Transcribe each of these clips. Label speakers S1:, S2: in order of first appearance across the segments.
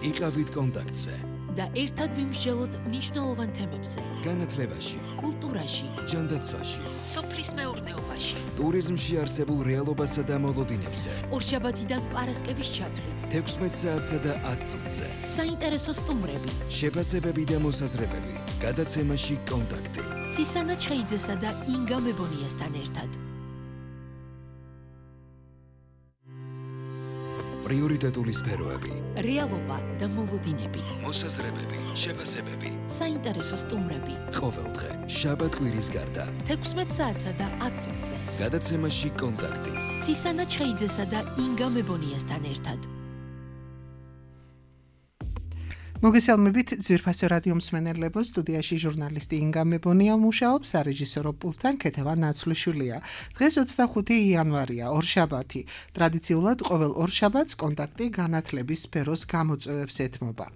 S1: იყავით კონტაქტზე
S2: და ერთად ვიმსჯელოთ მნიშვნელოვან თემებზე.
S1: განათლებაში,
S2: კულტურაში,
S1: ჯანდაცვაში,
S2: სოფლის მეურნეობაში,
S1: ტურიზმში არსებულ რეალობასა და მოლოდინებზე.
S2: ორშაბათიდან პარასკევის ჩათვლით,
S1: 16 საათსა და 10 წუთზე.
S2: საინტერესო სტუმრები,
S1: შეფასებები და მოსაზრებები. გადაცემაში კონტაქტი.
S2: ცისანა ჩხეიძესა და ინგა მებონიასთან ერთად.
S1: პრიორიტეტული სფეროები.
S2: რეალობა და მოლოდინები.
S1: მოსაზრებები, შეფასებები.
S2: საინტერესო სტუმრები.
S1: ყოველდღე, შაბათ-კვირის გარდა.
S2: 16 საათსა და 10 წუთზე.
S1: გადაცემაში კონტაქტი.
S2: ცისანა ჩხეიძესა და ინგა მებონიასთან ერთად.
S3: მოგესალმებით ძვირფასო რადიო მსმენელებო, სტუდიაში ჟურნალისტი ინგა მებონია მუშაობს, სარეჟისორო პულტთან ქეთევან ნაცვლიშვილია. დღეს 25 იანვარია, ორშაბათი. ტრადიციულად ყოველ ორშაბათს კონტაქტი განათლების სფეროს გამოწვევებს ეთმობა.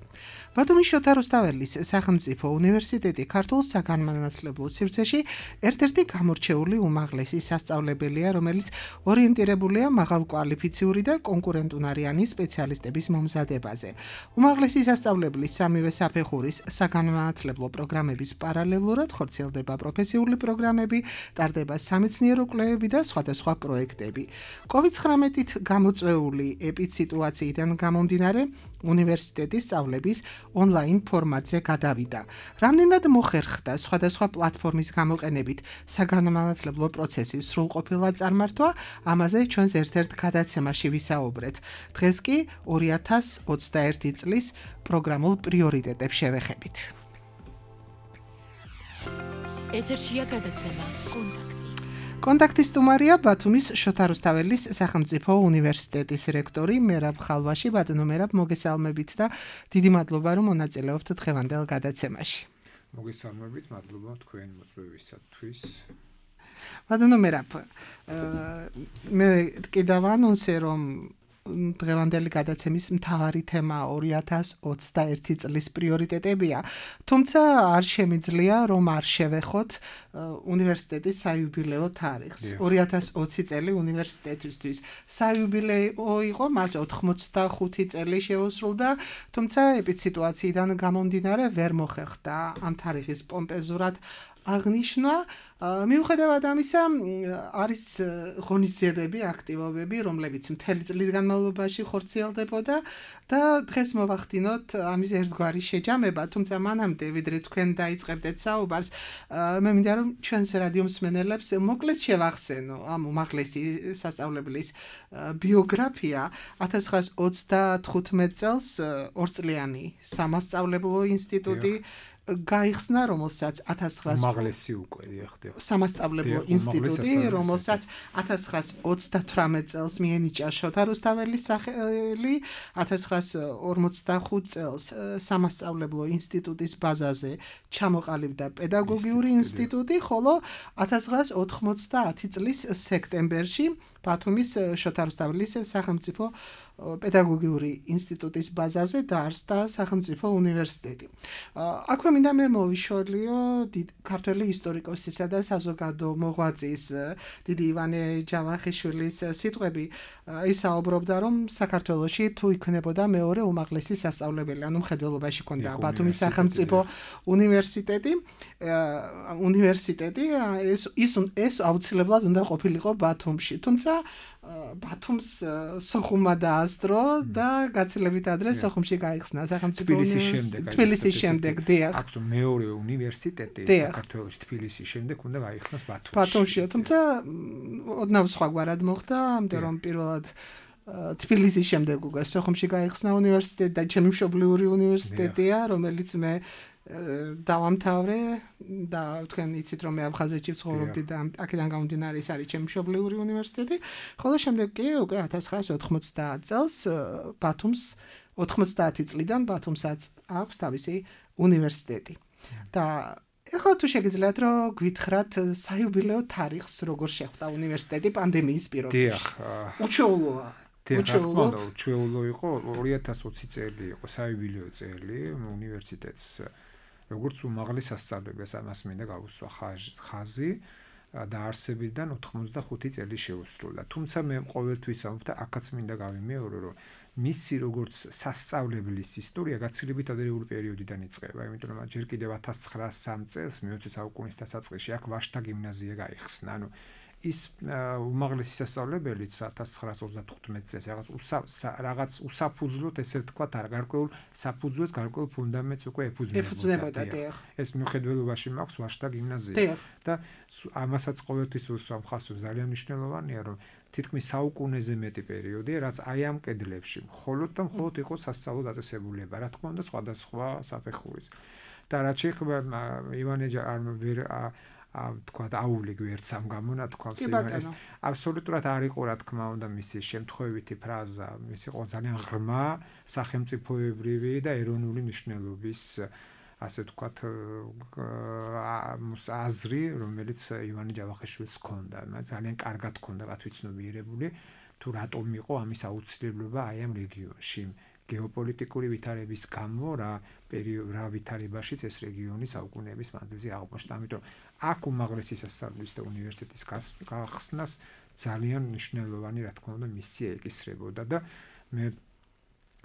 S3: ბათუმის შოთა რუსთაველის სახელმწიფო უნივერსიტეტი ქართულ საგანმანათლებლო სივრცეში ერთ-ერთი გამორჩეული უმაღლესი სასწავლებელია, რომელიც ორიენტირებულია მაღალკვალიფიციური და კონკურენტუნარიანი სპეციალისტების მომზადებაზე. უმაღლესი სასწავლებლის სამივე საფეხურის საგანმანათლებლო პროგრამების პარალელურად ხორციელდება პროფესიული პროგრამები, ტარდება სამეცნიერო კვლევები და სხვადასხვა პროექტები. COVID-19-ით გამოწვეული ეპიდსიტუაციიდან გამომდინარე, უნივერსიტეტის სწავლების ონლაინ ფორმატზე გადავიდა. რამდენად მოხერხდა სხვადასხვა პლატფორმის გამოყენებით საგანმანათლებლო პროცესის სრულყოფილად წარმართვა, ამაზე ჩვენს ერთ-ერთ გადაცემაში ვისაუბრეთ. დღეს კი 2021 წლის პროგრამულ პრიორიტეტებს შევეხებით.
S2: ეთერშია გადაცემა კონტაქტი.
S3: კონტაქტის სტუმარია ბათუმის შოთა რუსთაველის სახელმწიფო უნივერსიტეტის რექტორი მერაბ ხალვაში. ბატონო მერაბ, მოგესალმებით და დიდი მადლობა, რომ მონაწილეობთ დღევანდელ გადაცემაში.
S4: მოგესალმებით, მადლობა თქვენ მოწვევისათვის.
S3: ბატონო მერაბ, მე კიდევ ვანონსე, რომ დღევანდელი გადაცემის მთავარი თემა 2021 წლის პრიორიტეტებია, თუმცა არ შემიძლია რომ არ შევეხოთ უნივერსიტეტის საიუბილეო თარიღს. 2020 წელი უნივერსიტეტისთვის საიუბილეო იყო, მას 85 წელი შეუსრულდა, თუმცა ეპიდსიტუაციიდან გამომდინარე ვერ მოხერხდა ამ თარიღის პომპეზურად აღნიშნა. მიუხედავად ამისა, არის ღონისძიებები, აქტივობები, რომლებიც მთელი წლის განმავლობაში ხორციელდებოდა და დღეს მოვახდინოთ ამის ერთგვარი შეჯამება, თუმცა მანამდე ვიდრე თქვენ დაიწყებდეთ საუბარს, მე მინდა რომ ჩვენს რადიო მსმენელებს მოკლედ შევახსენო ამ უმაღლესი სასწავლებლის ბიოგრაფია. 1935 წელს ორწლიანი სამასწავლებლო ინსტიტუტი გაიხსნა, რომელსაც 1900
S4: უმაღლესი უკვე ხდება.
S3: სამასწავლებლო ინსტიტუტი, რომელსაც 1938 წელს მიენიჭა შოთა რუსთაველის სახელი, 1945 წელს სამასწავლებლო ინსტიტუტის ბაზაზე ჩამოყალიბდა პედაგოგიური ინსტიტუტი, ხოლო 1990 წლის სექტემბერში ბათუმის შოთა რუსთაველის სახელმწიფო პედაგოგიური ინსტიტუტის ბაზაზე დაარსდა სახელმწიფო უნივერსიტეტი. აქვე მინდა მე მოვიშორლიო ქართველი ისტორიკოსისა და საზოგადო მოღვაწის დიდი ივანე ჯავახიშვილის სიტყვები. ის საუბრობდა, რომ საქართველოში თუ იქნებოდა მეორე უმაღლესი სასწავლებელი, ანუ მხედველობაში ქონდა ბათუმის სახელმწიფო უნივერსიტეტი, ეს აუცილებლად უნდა ყოფილიყო ბათუმში. თუმცა ბათუმს სოხუმმა დაასწრო და გაცილებით ადრე სოხუმში გაიხსნა სახელმწიფო უნივერსიტეტი. თბილისის შემდეგ, დიახ.
S4: აქვს მეორე უნივერსიტეტი საქართველოში თბილისის შემდეგ უნდა გაიხსნას ბათუმში.
S3: ბათუმშია, თუმცა ოდნავ სხვაგვარად მოხდა, ამიტომ რომ პირველად თბილისის შემდეგ უკვე სოხუმში გაიხსნა უნივერსიტეტი და ჩემი მშობლიური უნივერსიტეტია, რომელიც მე დავამთავრე და თქვენ იცით რომ მე აფხაზეთში ვცხოვრობდი და აქედან გამომდინარე ის არის ჩემი მშობლიური უნივერსიტეტი, ხოლო შემდეგ კი უკვე 1990 წელს ბათუმს 90 წლიდან ბათუმსაც აქვს თავისი უნივერსიტეტი. და ეხლა თუ შეგიძლიათ რომ გვითხრათ საიუბილეო თარიღს როგორ შეხვდა უნივერსიტეტი პანდემიის პირობებში. უჩვეულოა.
S4: უჩვეულო იყო 2020 წელი იყო საიუბილეო წელი უნივერსიტეტს როგორც უმაღლეს სასწავლებლებს ამას მინდა გავუსვა ხაზი დაარსებიდან 85 წელი შეუსრულდა. თუმცა მე ყოველთვის ამბობ და აქაც მინდა გავიმეორო რომ მისი როგორც სასწავლებლის ისტორია გაცილებით ადრეული პერიოდიდან იწყება, იმიტომ რომ ჯერ კიდევ 1903 წელს მე-20 საუკუნის დასაწყისში აქ ვაშთა გიმნაზია გაიხსნა. ანუ ის უმაღლესი სასწავლებელიც 1935 წელს რაღაც უსაფუძვლოდ ესე ვთქვათ, გარკვეულ საფუძველს, გარკვეულ ფუნდამენტს უკვე ეფუძნებოდა. ეს მიუხედველობაში მაქვს ვაშთა გიმნაზია და ამასაც ყოველთვის უსვამ ხაზს, ძალიან მნიშვნელოვანია, რომ თითქმის საუკუნეზე მეტი პერიოდია, რაც აი ამ კედლებში მხოლოდ და მხოლოდ იყო სასწავლო დაწესებულება, რა თქმა უნდა, სხვადასხვა საფეხურის. და რაც შეეხება ივანე თქვათ აული გვერდს ამ გამონათქვამს ეს აბსოლუტურად არ იყო რა თქმა უნდა მისი შემთხვევითი ფრაზა, ის იყო ძალიან ღრმა სახელმწიფოებრივი და ეროვნული მნიშვნელობის ასე ვთქვათ აზრი, რომელიც ივანე ჯავახიშვილს ჰქონდა, ძალიან კარგად ჰქონდა გათვითცნობიერებული თუ რატომ იყო ამის აუცილებლობა აი ამ რეგიონში. გეოპოლიტიკური ვითარების გამო რა ვითარებაშიც ეს რეგიონი საუკუნეების მანძილზე აღმოჩნდა. ამიტომ აქ უმაღლესი სასწავლებლის და უნივერსიტეტის გახსნას ძალიან მნიშვნელოვანი რა თქმა უნდა მისია ეკისრებოდა და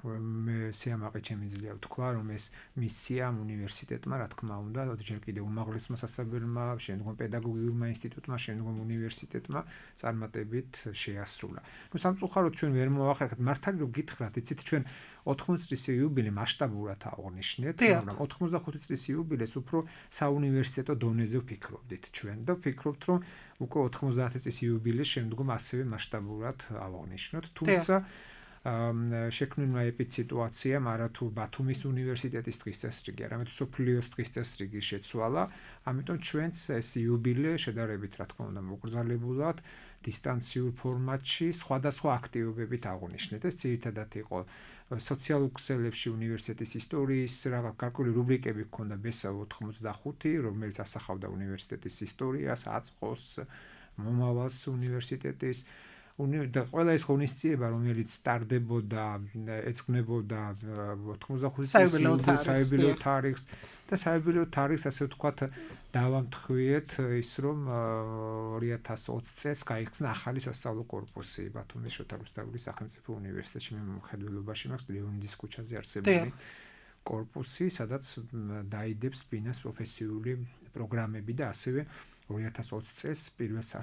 S4: მე სიამაყე შემიძლია ვთქვა, რომ ეს მისია ამ უნივერსიტეტმა რა თქმა უნდა ჯერ კიდევ უმაღლესმა სასწავლებელმა, შემდგომ პედაგოგიურმა ინსტიტუტმა, შემდგომ უნივერსიტეტმა წარმატებით შეასრულა. ნუ სამწუხაროდ ჩვენ ვერ მოვახერხეთ, მართალი რომ გითხრათ, იცით ჩვენ 80 წლის იუბილე მასშტაბურად აღვნიშნეთ, მაგრამ 85 წლის იუბილეს უფრო საუნივერსიტეტო დონეზე ვფიქრობდით ჩვენ და ვფიქრობთ, რომ უკვე 90 წლის იუბილეს შემდგომ ასევე მასშტაბურად აღვნიშნოთ, თუმცა შექმნილმა ეპიდსიტუაციამ არათუ ბათუმის უნივერსიტეტის დღის წესრიგი, არამედ სოფლიოს დღის წესრიგი შეცვალა, ამიტომ ჩვენც ეს იუბილე შედარებით რა თქმა უნდა მოკრძალებულად დისტანციურ ფორმატში სხვადასხვა აქტივობებით აღვნიშნეთ. ეს ძირითადად იყო სოციალურ ქსელებში უნივერსიტეტის ისტორიის გარკვეული რუბრიკები ჰქონდა ბესავ 85, რომელიც ასახავდა უნივერსიტეტის ისტორიას, აწყოს, მომავალს უნივერსიტეტის და ყველა ეს ღონისძიება, რომელიც სტარდებოდა, ეძღვნებოდა 85 წლის საიუბილეო თარიღს და საიუბილეო თარიღს ასე ვთქვათ დავამთხვიეთ ის რომ 2020 წელს გაიხსნა ახალი სასწავლო კორპუსი ბათუმის შოთა რუსთაველის სახელმწიფო უნივერსიტეტში. მე მხედველობაში მაქვს ლეონიდის ქუჩაზე არსებული კორპუსი, სადაც დაიდებს ბინას პროფესიული პროგრამები და ასევე 2020 წელს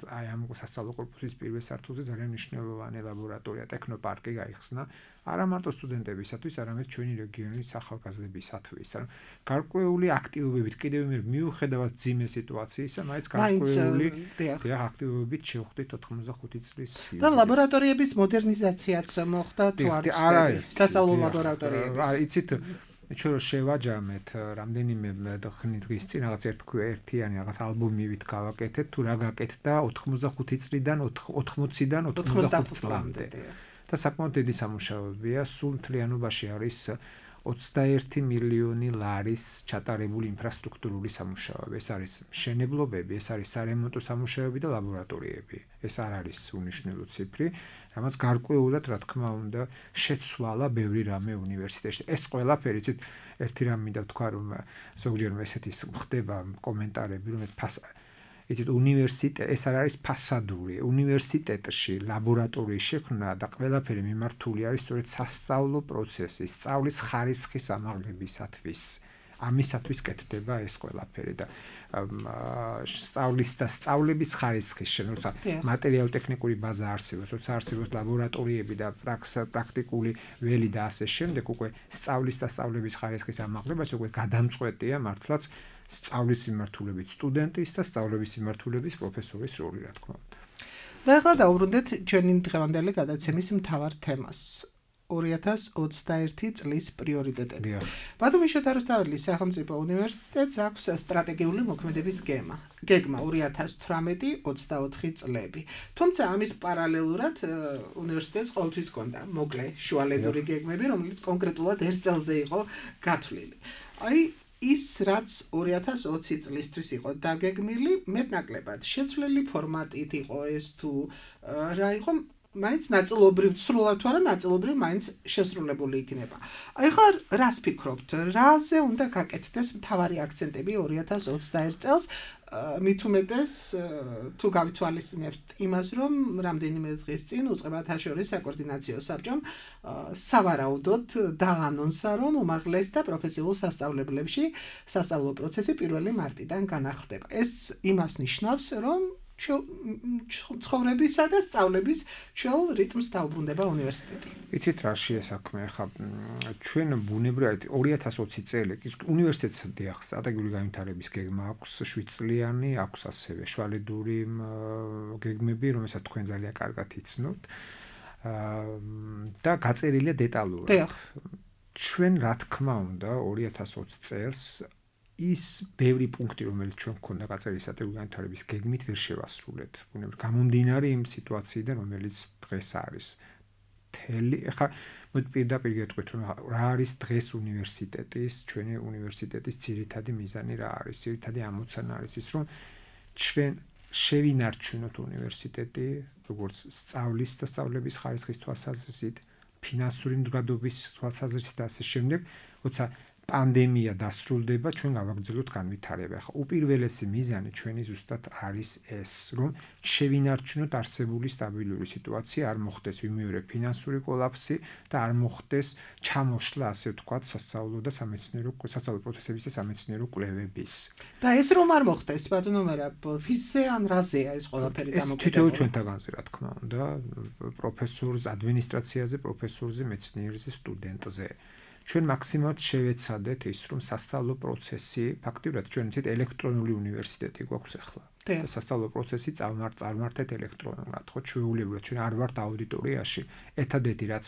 S4: აი ამ სასწავლო კორპუსის პირველ სართულზე ძალიან მნიშვნელოვანი ლაბორატორია, ტექნოპარკი გაიხსნა არა მარტო სტუდენტებისათვის, არამედ ჩვენი რეგიონის ახალგაზრდებისათვის. გარკვეული აქტივობებით კიდევ მიუხედავად ძიმე სიტუაციისა, მაინც გარკვეული აქტივობებით შევხვდით 85 წლის
S3: და ლაბორატორიების მოდერნიზაციაც მოხდა თუ არა სასწავლო ლაბორატორიების.
S4: იცით ჩვენ რო შევაჯამეთ რამდენიმე დღის წინ რაღაც ერთიანი რაღაც ალბომივით გავაკეთეთ თუ რა გაკეთდა 85 წლიდან 80-დან 85 წლამდე. და საკმაოდ დიდი სამუშაოებია, სულ მთლიანობაში არის 21 მილიონი ლარის ჩატარებული ინფრასტრუქტურული სამუშაოები. ეს არის მშენებლობები, ეს არის სარემონტო სამუშაოები და ლაბორატორიები. ეს არ არის უნიშნელო ციფრი, რამაც გარკვეულად რა თქმა უნდა შეცვალა ბევრი რამე უნივერსიტეტში. ეს ყველაფერი იცით ერთი რამ მინდა ვთქვა, რომ ზოგჯერ ესეთი ხდება კომენტარები, რომ იცით ეს არ არის ფასადური. უნივერსიტეტში ლაბორატორიის შექმნა და ყველაფერი მიმართული არის სწორედ სასწავლო პროცესის, სწავლის ხარისხის ამაღლებისათვის. ამისათვის კეთდება ეს ყველაფერი და სწავლის და სწავლების ხარისხის როცა მატერიალურ-ტექნიკური ბაზა არსებობს, როცა არსებობს ლაბორატორიები და პრაქტიკული ველი და ასე შემდეგ, უკვე სწავლის და სწავლების ხარისხის ამაღლებაში უკვე გადამწყვეტია მართლაც სწავლის მიმართულებით სტუდენტის და სწავლების მიმართულებით პროფესორის როლი, რა თქმა უნდა.
S3: და ახლა დავუბრუნდეთ ჩვენი დღევანდელი გადაცემის მთავარ თემას. 2021 წლის პრიორიტეტები. ბათუმის შოთა რუსთაველის სახელმწიფო უნივერსიტეტს აქვს სტრატეგიული მოქმედების გეგმა 2018-24 წლები. თუმცა ამის პარალელურად უნივერსიტეტს ყოველთვის ჰქონდა მოკლე შუალედური გეგმები, რომელიც კონკრეტულად 1 წელზე იყო გათვლილი. აი ის რაც 2020 წლისთვის იყო დაგეგმილი, მეტნაკლებად შეცვლილი ფორმატით იყო ეს თუ რა იყო მაინც ნაწილობრივ სრულად თუ არა ნაწილობრივ მაინც შესრულებული იქნება. ახლა რას ფიქრობთ? რაზე უნდა გაკეთდეს მთავარი აქცენტები 2021 წელს? მით უმეტეს თუ გავითვალისწინებთ იმას, რომ რამდენიმე დღის წინ უწყებათა შორის საკოორდინაციო საბჭომ სავარაუდოდ დაანონსა, რომ უმაღლეს და პროფესიულ სასწავლებლებში სასწავლო პროცესი 1 მარტიდან განახლდება. ეს იმას ნიშნავს, რომ ცხოვრებისა და სწავლების ჩვეულ რიტმს დაუბრუნდება უნივერსიტეტი.
S4: იცით რა შეესაქმე ხა ჩვენ ბუნებრივად 2020 წელი უნივერსიტეტს დიახ სტრატეგიული განვითარების გეგმა აქვს 7 წლიანი, აქვს ასევე შვალედური გეგმები, რომელსაც თქვენ ძალიან კარგად იცნობთ. და გაწერილია დეტალურად. ჩვენ რა თქმა უნდა 2020 წელს ის ბევრი პუნქტი რომელიც ჩვენ გქონდა გაწერილი სტრატეგიული განვითარების გეგმით ვერ შევასრულეთ. გამომდინარე იმ სიტუაციიდან რომელიც დღეს არის. ეხლა მოდი პირდაპირ გეტყვით რომ რა არის დღეს უნივერსიტეტის, ჩვენი უნივერსიტეტის ძირითადი მიზანი რა არის? ძირითადი ამოცანა არის ის რომ ჩვენ შევინარჩუნოთ უნივერსიტეტი როგორც სწავლის და სწავლების ხარისხის თვალსაზრისით, ფინანსური მდგრადობის თვალსაზრისით და ასე შემდეგ, როცა პანდემია დასრულდება, ჩვენ გავაგრძელოთ განვითარება. ახლა უპირველესი მიზანი ჩვენი ზუსტად არის ეს, რომ შევინარჩუნოთ არსებული სტაბილური სიტუაცია, არ მოხდეს ვიმეორე ფინანსური კოლაფსი და არ მოხდეს ჩამოშლა, ასე ვთქვათ, სასწავლო და სამეცნიერო სასწავლო პროცესების და სამეცნიერო კვლევების.
S3: და ეს რომ არ მოხდეს, ბატონო მერაბ, ფიზზე ან რაზეა ეს ყველაფერი დამოკიდებული?
S4: ეს თითოეულ ჩვენთაგანზე, რა თქმა უნდა, პროფესორს, ადმინისტრაციაზე, პროფესორზე, მეცნიერზე, სტუდენტზე. ჩვენ მაქსიმალურად შევეცადეთ ის, რომ სასწავლო პროცესი, ფაქტიურად ჩვენ ვთქვით ელექტრონული უნივერსიტეტი გვაქვს ახლა. სასწავლო პროცესი წარმართეთ ელექტრონულად, ხო, ჩვეულებრივად ჩვენ არ ვართ აუდიტორიაში. ერთადერთი რაც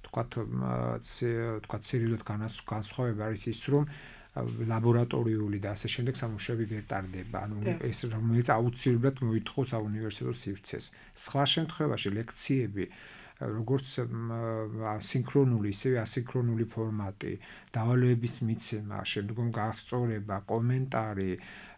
S4: თქვათ სერიოზულად განსხვავება არის ის, რომ ლაბორატორიული და ასე შემდეგ სამუშაოები ვერ ტარდება. ანუ ეს რომელიც აუცილებლად მოითხოვს საუნივერსიტეტო სივრცეს. სხვა შემთხვევაში ლექციები როგორც სინქრონული, ისევე ასინქრონული ფორმატი, დავალოების მიცემა, შემდგომ გასწორება, კომენტარი,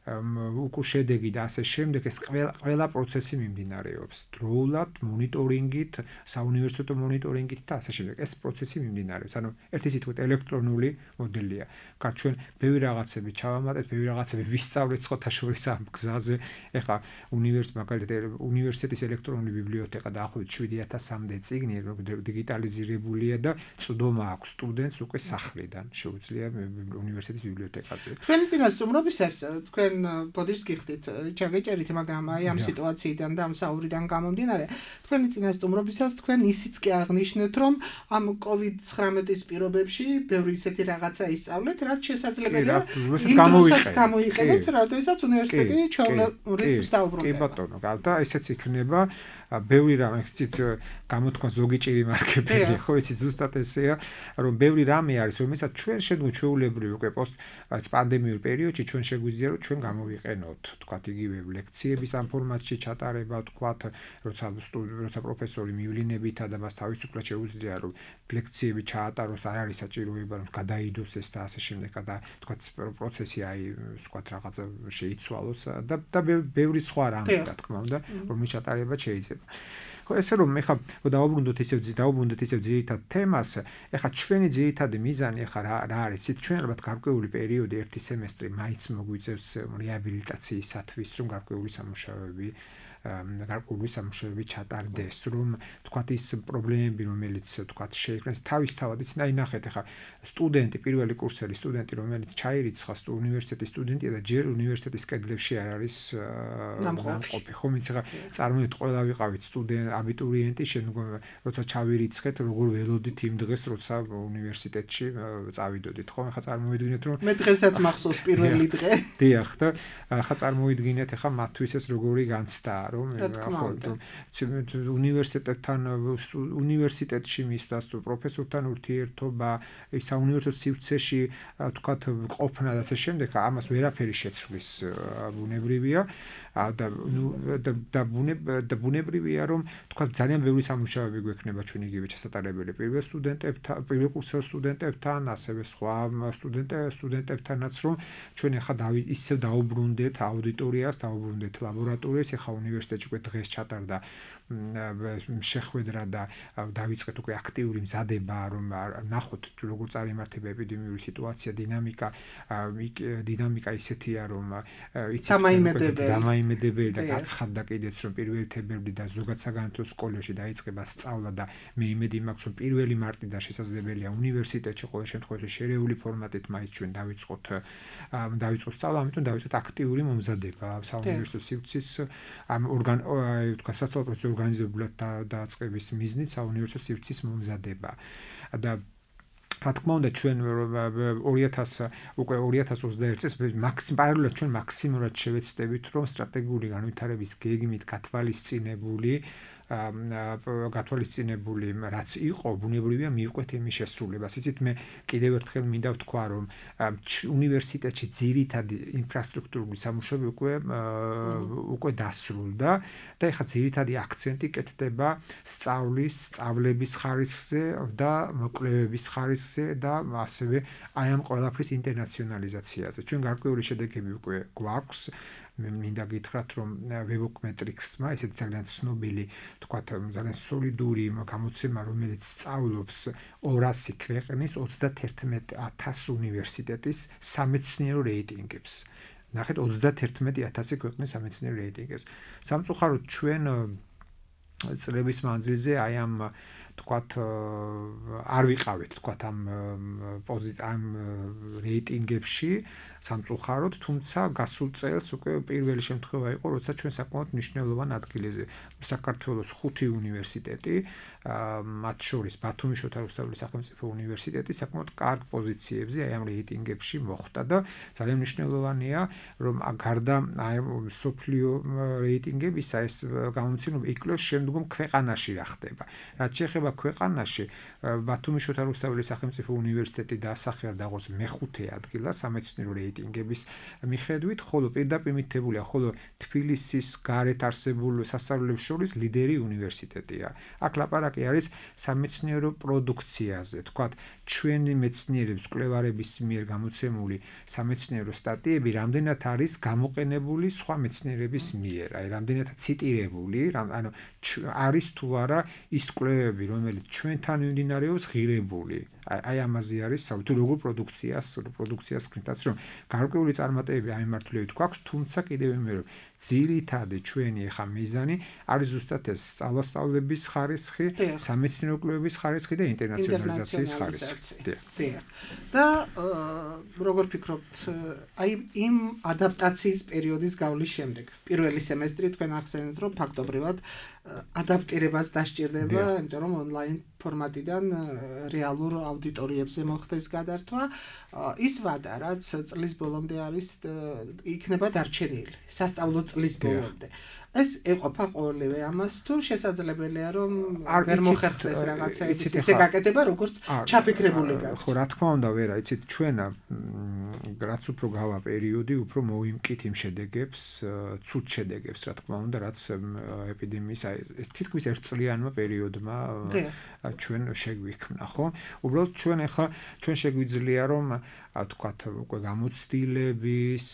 S4: უკუ შედეგი და ასე შემდეგ, ეს ყველა პროცესი მიმდინარეობს. დროულად, მონიტორინგით, საუნივერსიტეტო მონიტორინგით და ასე შემდეგ. ეს პროცესი მიმდინარეობს. ანუ ერთი სიტყვით ელექტრონული მოდელია. კარგ, ჩვენ ბევრი რაღაცები ჩავამატეთ, ბევრი რაღაცები ვისწავლეთ სხვათა შორის ამ გზაზე. ეხლა უნივერსიტეტის ელექტრონული ბიბლიოთეკა დაახლოებით 7300-მდე წიგნი დიგიტალიზირებულია და წვდომა აქვს სტუდენტს უკვე სახლიდან. შეუძლია უნივერსიტეტის ბიბლიოთეკაზე.
S3: თქვენი წინასწარმობისას თქვენ ბოდიშს გიხდით, ჩაგეჭერით, მაგრამ აი ამ სიტუაციიდან და ამ საუბრიდან გამომდინარე, თქვენი წინასწარმობისას თქვენ ისიც კი აღნიშნეთ, რომ ამ COVID-19-ის პირობებში ბევრი ისეთი რაღაცა ისწავლეთ, რაც შესაძლებელია გამოიყენოთ, როდესაც უნივერსიტეტი ჩვეულებრივ რიტმს დაუბრუნდება.
S4: კი ბატონო, და ესეც იქნება ბევრი რამე იცით გამოთქვა ზოგი ჭირი მარკებია, ხო იცით ზუსტად ესეა, რომ ბევრი რამე არის, რომელსაც ჩვენ შეგვეჩვეულებრივ უკვე პოსტ პანდემიურ პერიოდში ჩვენ შეგვიძლია რომ ჩვენ გამოვიყენოთ, თქვათ იგივე ლექციების ამ ფორმატში ჩატარება, თქვათ, როცა პროფესორი მივლინებითა და მას თავისუფლად შეუძლია რომ ლექციები ჩაატაროს, არ არის საჭიროება რომ გადაიდოს ეს და ასე შემდეგ და თქვათ პროცესი აი თქვათ რაღაცა შეიცვალოს და ბევრი სხვა რამე რა თქმა უნდა, რომლის ჩატარება შეიძლება. ხო ესე რომ ეხა დავუბრუნდეთ ისევ ძირითად თემას, ეხა ჩვენი ძირითადი მიზანი ეხა რა არის? ჩვენ ალბათ გარკვეული პერიოდი, ერთი სემესტრი მაინც მოგვიწევს რეაბილიტაციისათვის, რომ გარკვეული სამუშაოები ჩატარდეს, რომ თქვათ ის პრობლემები, რომელიც თქვათ შეიქმნეს თავისთავად, იცით, აი ნახეთ ეხა სტუდენტი, პირველი კურსელი სტუდენტი, რომელიც ჩაირიცხა უნივერსიტეტის სტუდენტია და ჯერ უნივერსიტეტის კედლებში არ არის ნამყოფი, ხო, მის ეხა წარმოიდგინეთ, ყველა ვიყავით აბიტურიენტი, შემდგომ როცა ჩავირიცხეთ, როგორ ველოდით იმ დღეს, როცა უნივერსიტეტში წავიდოდით, ხო? ეხა წარმოიდგინეთ, რომ
S3: მე დღესაც მახსოვს პირველი დღე.
S4: დიახ, და ეხა წარმოიდგინეთ, ეხა მათთვის ეს როგორი განცდაა, რომ უნივერსიტეტში მისვლას თუ პროფესორთან ურთიერთობა, საუნივერსიტეტო სივრცეში თქვათ ყოფნა და ასე შემდეგ, ამას ვერაფერი შეცვლის ბუნებრივია და ბუნებრივია რომ თქვათ ძალიან ბევრი სამუშაოები გვექნება ჩვენ იგივე ჩასატარებელი პირველ კურსელ სტუდენტებთან, ასევე სხვა სტუდენტებთანაც, რომ ჩვენ ახლა ისევ დაუბრუნდეთ აუდიტორიას, დაუბრუნდეთ ლაბორატორიას, ახლა უნივერსიტეტში უკვე დღეს ჩატარდა შეხვედრა და დავიწყეთ უკვე აქტიური მზადება, რომ ნახოთ როგორ წარიმართება ეპიდემიური სიტუაცია, დინამიკა ისეთია, რომ დამაიმედებელი და გაცხადდა კიდეც, რომ 1 თებერვლი და ზოგადად საგანმანათლებლო სკოლებში დაიწყება სწავლა და მე იმედი მაქვს, რომ 1 მარტიდან შესაძლებელია უნივერსიტეტში ყოველ შემთხვევაში შერეული ფორმატით მაინც ჩვენ დავიწყოთ სწავლა, ამიტომ დავიწყოთ აქტიური მომზადება საუნივერსიტეტო სივრცის თქვა სასწავლო პროცესის ორგანიზებულად დაწყების მიზნით საუნივერსიტეტო სივრცის მომზადება და რა თქმა უნდა ჩვენ 2021 წელს პარალელურად ჩვენ მაქსიმალურად შევეცდებით რომ სტრატეგიული განვითარების გეგმით გათვალისწინებული რაც იყო ბუნებრივია მივყვეთ იმის შესრულებას. იცით მე კიდევ ერთხელ მინდა ვთქვა რომ უნივერსიტეტში ძირითადი ინფრასტრუქტურული სამუშაოები უკვე დასრულდა და ეხლა ძირითადი აქცენტი კეთდება სწავლების ხარისხზე და კვლევების ხარისხზე და ასევე აი ამ ყველაფრის ინტერნაციონალიზაციაზე. ჩვენ გარკვეული შედეგები უკვე გვაქვს. მე მინდა გითხრათ რომ Webmetrics-მა ესეთი ძალიან ცნობილი, თქვათ ძალიან სოლიდური გამოცემა, რომელიც სწავლობს 200 ქვეყნის 31,000 უნივერსიტეტის სამეცნიერო რეიტინგებს. ნახეთ 31,000 ქვეყნის სამეცნიერო რეიტინგებს. სამწუხაროდ ჩვენ წლების მანძილზე აი ამ თქვათ არ ვიყავით თქვათ ამ რეიტინგებში სამწუხაროდ, თუმცა გასულ წელს უკვე პირველი შემთხვევა იყო, როცა ჩვენ საკმაოდ მნიშვნელოვან ადგილზე საქართველოს 5 უნივერსიტეტი, მათ შორის ბათუმის შოთა რუსთაველის სახელმწიფო უნივერსიტეტი საკმაოდ კარგ პოზიციებზე აი ამ რეიტინგებში მოხვდა და ძალიან მნიშვნელოვანია, რომ გარდა აი სოფლიო რეიტინგებისა ეს გამომცემლობა იკლოს შემდგომ ქვეყანაში რა ხდება. რაც შეეხება ქვეყანაში, ბათუმის შოთა რუსთაველის სახელმწიფო უნივერსიტეტი დაასახელა დაღოს მე-5 ადგილას სამეცნიერო რეიტინგების მიხედვით, ხოლო პირდაპირ მითებულია, ხოლო თბილისის გარეთ არსებულ სასწავლებლებს შორის ლიდერი უნივერსიტეტია. აქ ლაპარაკი არის სამეცნიერო პროდუქციაზე, თქვათ, ჩვენი მეცნიერების კვლევარების მიერ გამოცემული სამეცნიერო სტატიები რამდენად არის გამოყენებული სხვა მეცნიერების მიერ, აი რამდენად ციტირებული, ანუ არის თუ არა ის კვლევები, რომელიც ჩვენთან მიმდინარეობს ღირებული. აი ამაზე არის თუ როგორ პროდუქციას კრიტაც რომ გარკვეული წარმატებები აიმართლებით გვაქვს, თუმცა კიდევ ვიმეორებ რომ ძირითადი ჩვენი ახლა მიზანი არის ზუსტად ეს სწავლების ხარისხი, სამეცნიერო კვლევების ხარისხი და ინტერნაციონალიზაციის ხარისხი.
S3: და როგორ ფიქრობთ, აი იმ ადაპტაციის პერიოდის გავლის შემდეგ, პირველი სემესტრი თქვენ ახსენეთ რომ ფაქტობრივად ადაპტირებას დასჭირდება, იმიტომ რომ ონლაინ ფორმატიდან რეალურ აუდიტორიებზე მოხდეს გადართვა. ის ვადა, რაც წლის ბოლომდე არის იქნება დარჩენილი, სასწავლო წლის ბოლომდე. ეს ეყოფა ყოველივე ამას თუ შესაძლებელია რომ ვერ მოხერხდეს რაღაცაების ისე გაკეთება, როგორც ჩაფიქრებული გაქვს.
S4: ხო, რა თქმა უნდა, ვერა, იცით, ჩვენ რაც უფრო გავა პერიოდი, უფრო მოვიმკით იმ შედეგებს, ცუდ შედეგებს, რა თქმა უნდა, რაც ეპიდემიის ეს თითქმის ერთწლიანმა პერიოდმა ჩვენ შეგვიქმნა, ხო? უბრალოდ ჩვენ შეგვიძლია რომ თქვათ უკვე გამოცდილების,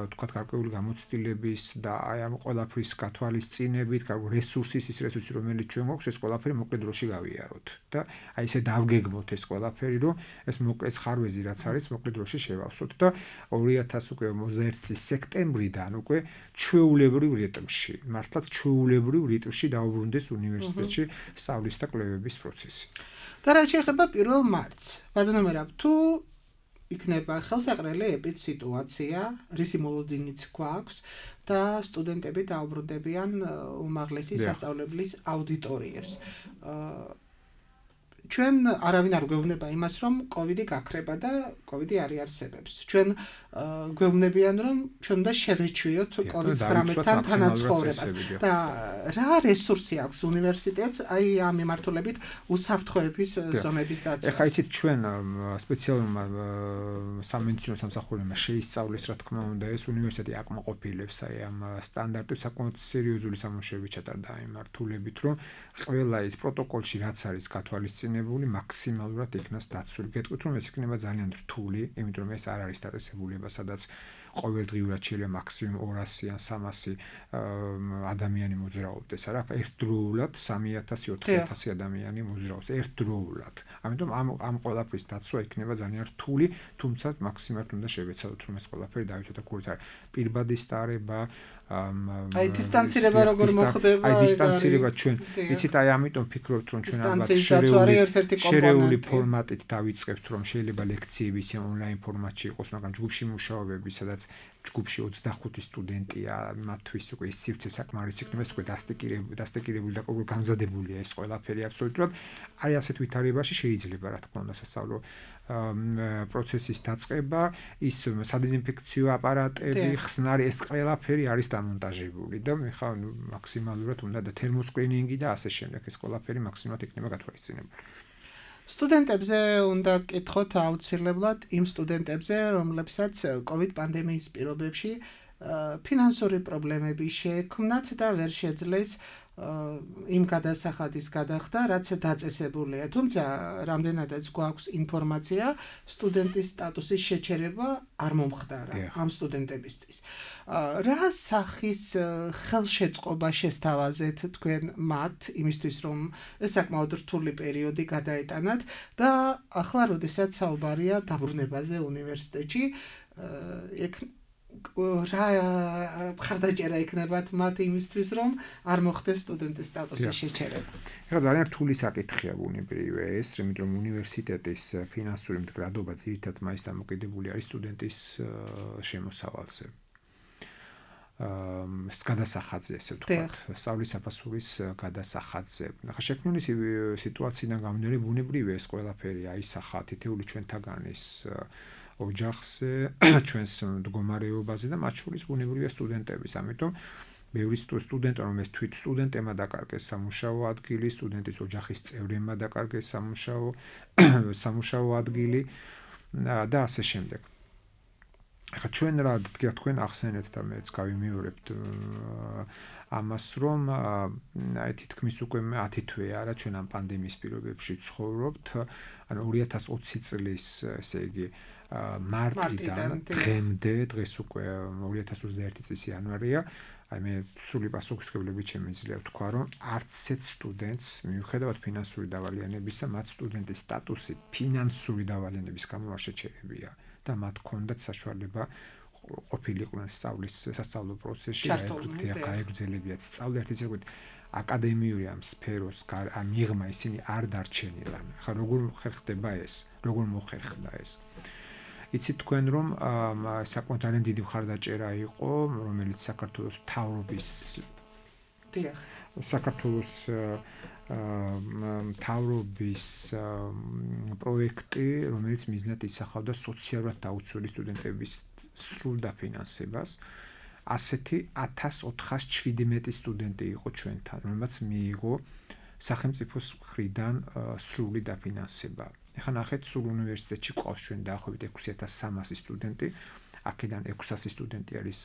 S4: თქვათ გარკვეული გამოცდილების და აი ამ ყველაფრის გათვალისწინებით, რესურსის ის რესურსი რომელიც ჩვენ გვაქვს, ეს ყველაფერი მოკლე დროში გავიაროთ და აი ესე დავგეგმოთ ეს ყველაფერი, რომ ეს მოკლე ხარვეზი რაც არის, მოკლე დროში შევავსოთ და 2021 წლის სექტემბრიდან უკვე ჩვეულებრივ რიტმში, მართლაც ჩვეულებრივ რიტმში დაუბრუნდეს უნივერსიტეტში სწავლის და კვლევების პროცესი.
S3: და რა შეეხება 1 მარტს, ბატონო, თუ იქნება ხელსაყრელი ეპიდსიტუაცია, რისი მოლოდინიც გვაქვს და სტუდენტები დაუბრუნდებიან უმაღლესი სასწავლებლის აუდიტორიებს. ჩვენ არავინ არ გვეუბნება იმას, რომ კოვიდი გაქრება და კოვიდი არ იარსებებს. ჩვენ გვეუბნებიან, რომ ჩვენ უნდა შევეჩვიოთ COVID-19-თან თანაცხოვრებას და რა რესურსი აქვს უნივერსიტეტს აი ამ მიმართულებით უსაფრთხოების ზონების დაცვას.
S4: ეხლა იცით ჩვენ სპეციალურმა სამედიცინო სამსახურებმა შეისწავლეს, რა თქმა უნდა, ეს უნივერსიტეტი აკმაყოფილებს აი ამ სტანდარტებს, საკმაოდ სერიოზული სამუშაოები ჩატარდა ამ მიმართულებით, რომ ყველა ის პროტოკოლში რაც არის გათვალისწინებული მაქსიმალურად იქნას დაცული. გეტყვით რომ ეს იქნება ძალიან რთული, იმიტომ რომ ეს არ არის დაწესებული იქნება, სადაც ყოველდღიურად შეიძლება მაქსიმუმ 200 ან 300 ადამიანი მოძრაობდეს, არა? ერთდროულად 3000-4000 ადამიანი მოძრაობს ერთდროულად. ამიტომ ამ ყველაფრის დაცვა იქნება ძალიან რთული, თუმცა მაქსიმალურად უნდა შევეცადოთ, რომ ეს ყველაფერი დავითოთ და გულს არ პირბადი სტარება
S3: აი დისტანცირება როგორ მოხდება
S4: აი დისტანცირება ჩვენ იცით აი ამიტომ ფიქრობთ რომ ჩვენ ალბათ შერეული ფორმატით დავიწყებთ რომ შეიძლება ლექციები ისე ონლაინ ფორმატში იყოს მაგრამ ჯგუფში მუშაობები სადაც ჯგუფში 25 სტუდენტია მათთვის უკვე ის სივრცე საკმარისი იქნება ეს უკვე დასტიკირებული და ყოველ გამზადებულია ეს ყველაფერი აბსოლუტურად აი ასეთ ვითარებაში შეიძლება რა თქმა უნდა სასწავლო პროცესის დაწყება ის სადეზინფექციო აპარატები ხსნარი ეს ყველაფერი არის დამონტაჟებული და ხა მაქსიმალურად უნდა და თერმოსკრინინგი და ასე შემდეგ ეს ყველაფერი მაქსიმალურად იქნება გათვალისწინებული
S3: სტუდენტებზე უნდა კითხოთ აუცილებლად იმ სტუდენტებზე რომლებსაც COVID პანდემიის პირობებში ფინანსური პრობლემები შეექმნათ და ვერ შეძლეს იმ გადასახადის გადახდა, რაც დაწესებულია. თუმცა, რამდენადაც გვაქვს ინფორმაცია, სტუდენტის სტატუსის შეჩერება არ მომხდარა ამ სტუდენტებისთვის. რა სახის ხელშეწყობა შესთავაზეთ თქვენ მათ იმისთვის, რომ ეს საკმაოდ რთული პერიოდი გადაეტანათ და ახლა, როდესაც საუბარია დაბრუნებაზე უნივერსიტეტში, რა მხარდაჭერა იქნებათ მათ იმისთვის რომ არ მოხდეს სტუდენტის სტატუსის შეჩერება.
S4: ეხლა ძალიან რთული საკითხია ბუნებრივია ეს, იმიტომ რომ უნივერსიტეტის ფინანსური მდგრადობა ძირითადად მაინც დამოკიდებული არის სტუდენტის შემოსავალზე. გადასახადზე, ესე ვთქვათ, სწავლის საფასურის გადასახადზე. ახლა შექმნილი სიტუაციიდან გამომდინარე ბუნებრივია ეს ყველაფერი აისახა თითეული ჩვენთაგანის ოჯახზე, ჩვენს მდგომარეობაზე და მათ შორის ბუნებრივია სტუდენტების. ამიტომ ბევრი სტუდენტი, რომელიც თვით სტუდენტებმა დაკარგეს სამუშაო ადგილი, სტუდენტის ოჯახის წევრებმა დაკარგეს სამუშაო ადგილი და ასე შემდეგ. ახლა ჩვენ რა თქვენ ახსენეთ და მეც გავიმეორებთ ამას რომ აი თითქმის უკვე 10 თვეა რა ჩვენ ამ პანდემიის პირობებში ცხოვრობთ. ანუ 2020 წლის ესე იგი მარტიდან დღემდე დღეს უკვე 2021 წლის იანვარია აი მე სრული პასუხისმგებლობით შემიძლია ვთქვა რომ არც ერთ სტუდენტს მიუხედავად ფინანსური დავალიანებისა მათ სტუდენტის სტატუსი ფინანსური დავალიანების გამო არ შეჩერებია და მათ ჰქონდათ საშუალება ყოფილიყვნენ სასწავლო პროცესში გაეგრძელებიათ სწავლა ერთი ზოგადად აკადემიური ამ სფეროს მიღმა ისინი არ დარჩენილან. ხა როგორ ხერხდება ეს? როგორ მოხერხდა ეს? იცით თქვენ რომ საკმაოდ ძალიან დიდი მხარდაჭერა იყო, რომელიც საქართველოს მთავრობის საქართველოს მთავრობის პროექტი, რომელიც მიზნად ისახავდა სოციალურად დაუცველი სტუდენტების სრულ დაფინანსებას. ასეთი 1417 სტუდენტი იყო ჩვენთან, რომელსაც მიიღო სახელმწიფოს მხრიდან სრული დაფინანსება. ეხლა ნახეთ, სრულ უნივერსიტეტში ყავს ჩვენ დაახლოებით 6300 სტუდენტი. აქედან 600 სტუდენტი არის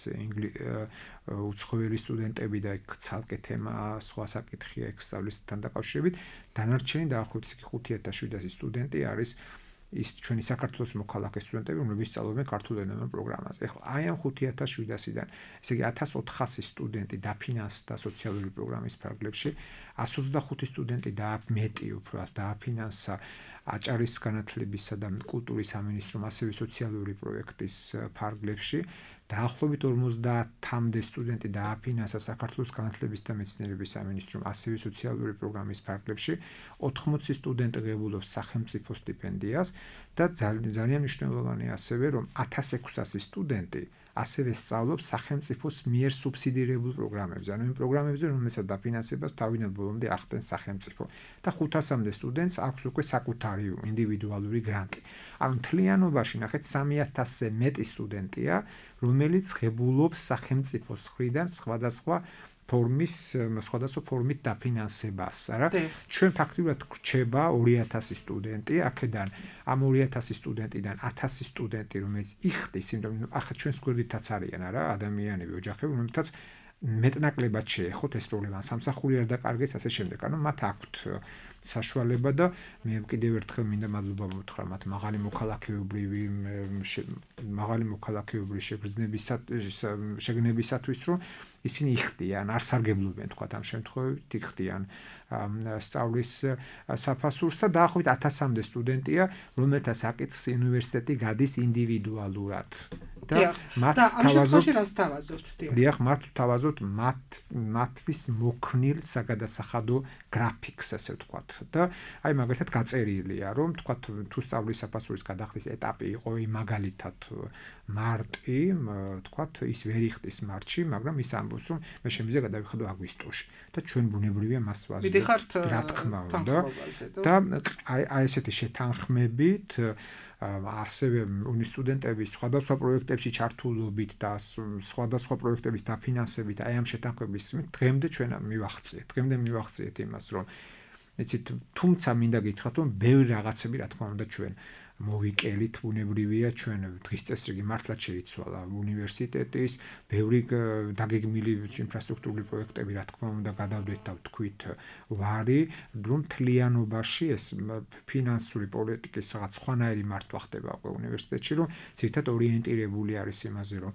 S4: უცხოელი სტუდენტები და იქ ცალკე თემა სხვა საკითხია ეგ სწავლისთან დაკავშირებით. დანარჩენი დაახლოებით 5700 სტუდენტი არის ის ჩვენი საქართველოს მოქალაქე სტუდენტები, რომლებიც სწავლობენ ქართულ ენოვან პროგრამაზე. ეხლა აი ამ 5700-დან, ესე იგი 1400 სტუდენტი დაფინანსდა სოციალური პროგრამის ფარგლებში, 125 სტუდენტი და მეტი უფრო დააფინანსა აჭარის განათლებისა და კულტურის სამინისტრომ ასევე სოციალური პროექტის ფარგლებში. დაახლოებით 50-მდე სტუდენტი დააფინანსა საქართველოს განათლების და მეცნიერების სამინისტრომ ასევე სოციალური პროგრამის ფარგლებში. 80 სტუდენტი ღებულობს სახელმწიფო სტიპენდიას და ძალიან მნიშვნელოვანია ასევე რომ 1600 სტუდენტი ასევე სწავლობს სახელმწიფოს მიერ სუბსიდირებულ პროგრამებზე. ანუ იმ პროგრამებზე, რომელსაც დაფინანსებას თავიდან ბოლომდე ახდენს სახელმწიფო. და 500-მდე სტუდენტს აქვს უკვე საკუთარი ინდივიდუალური გრანტი. ანუ მთლიანობაში ნახეთ 3000-ზე მეტი სტუდენტია, რომელიც ღებულობს სახელმწიფოს მხრიდან სხვადასხვა ფორმით დაფინანსებას, არა? ჩვენ ფაქტობრივად გრჩება 2000 სტუდენტი, აქედან ამ 2000 სტუდენტიდან 1000 სტუდენტი, რომელიც იხდის, იმიტომ ახლა ჩვენს გვერდითაც არიან, არა, ადამიანები, ოჯახები, რომელთაც მეტნაკლებად შეეხოთ ეს პრობლემა, სამსახური არ დაკარგეს, ასე შემდეგ. ანუ მათ აქვთ საშუალება და მე კიდევ ერთხელ მინდა მადლობა მითხრა მათ მაღალი მოქალაქეობრივი შეგნებისათვის რომ ისინი იხდიან არ სარგებლობენ თქვა ამ შემთხვევით იხდიან სწავლის საფასურს და დაახლოებით 1000-მდე სტუდენტია რომელთა საკითხს უნივერსიტეტი გადის ინდივიდუალურად და მათ თავაზობთ მათთვის მოქნილ საგადასახადო გრაფიკს ასე ვთქვათ და აი მაგალითად გაწერილია რომ ვთქვათ თუ სწავლის საფასურის გადახდის ეტაპი იყო მაგალითად მარტი ვთქვათ ის ვერ იხდის მარტში მაგრამ ის ამბობს რომ მე შემიძლია გადავიხადო აგვისტოში და ჩვენ ბუნებრივია მას ვაზრობთ რა თქმა უნდა და აი ესეთი შეთანხმებით ასევე სტუდენტების სხვადასხვა პროექტებში ჩართულობით და სხვადასხვა პროექტების დაფინანსებით აი ამ შეთანხმების დღემდე ჩვენ მივახციეთ იმას რომ იცით თუმცა მინდა გითხრათ რომ ბევრი რაღაცები რა თქმა უნდა ჩვენ მოვიკელით ბუნებრივია ჩვენ დღის წესრიგი მართლაც შეიცვალა უნივერსიტეტის ბევრი დაგეგმილი ინფრასტრუქტურული პროექტები რა თქმა უნდა გადავდეთ და ვთქვით ვარი რომ თლიანობაში ეს ფინანსური პოლიტიკის რაღაც სხვანაირი მართვა ხდება უკვე უნივერსიტეტში რომ ზირთად ორიენტირებული არის იმაზე რომ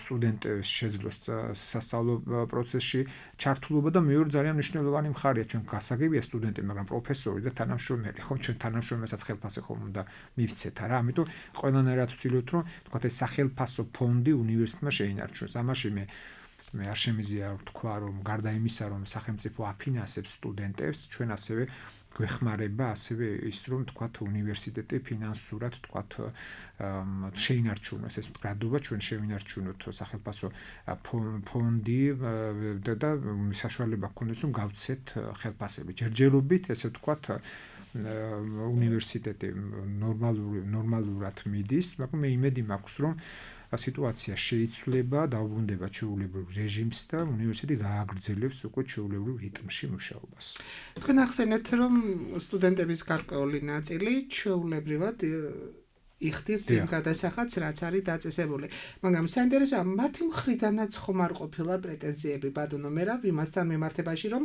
S4: სტუდენტებს შეძლოს სასწავლო პროცესში ჩართულობა და მეორე ძალიან მნიშვნელოვანი მხარეა ჩვენ გასაგებია სტუდენტი მაგრამ პროფესორი და თანამშრომელი ხომ ჩვენ თანამშრომელსაც ხელფასი ხომ უნდა მივცეთ არა ამიტომ ყველანაირად ვცდილობთ რომ თქვა ეს სახელფასო ფონდი უნივერსიტეტმა შეინარჩუნოს ამაში მე არ შემიძლია ვთქვა რომ გარდა იმისა რომ სახელმწიფო აფინანსებს სტუდენტებს ჩვენ ასევე გვეხმარება ასევე ის რომ თქვა უნივერსიტეტი ფინანსურად თქვა შეინარჩუნოს ეს მდგრადობა ჩვენ შევინარჩუნოთ სახელფასო ფონდი და საშუალება გქონდეს რომ გავცეთ ხელფასები ჯერჯერობით ესე ვთქვა უნივერსიტეტი ნორმალურად მიდის, მაგრამ მე იმედი მაქვს, რომ სიტუაცია შეიცვლება, დაუბრუნდება ჩვეულებრივ რეჟიმს და უნივერსიტეტი გააგრძელებს უკვე ჩვეულებრივ რიტმში მუშაობას.
S3: თქვენ ახსენეთ, რომ სტუდენტების გარკვეული ნაწილი ჩვეულებრივად იხდის იმ გადასახადს, რაც არის დაწესებული. მაგრამ საინტერესოა, მათი მხრიდანაც ხომ არ ყოფილა პრეტენზიები, ბატონო მერაბ, იმასთან მიმართებაში, რომ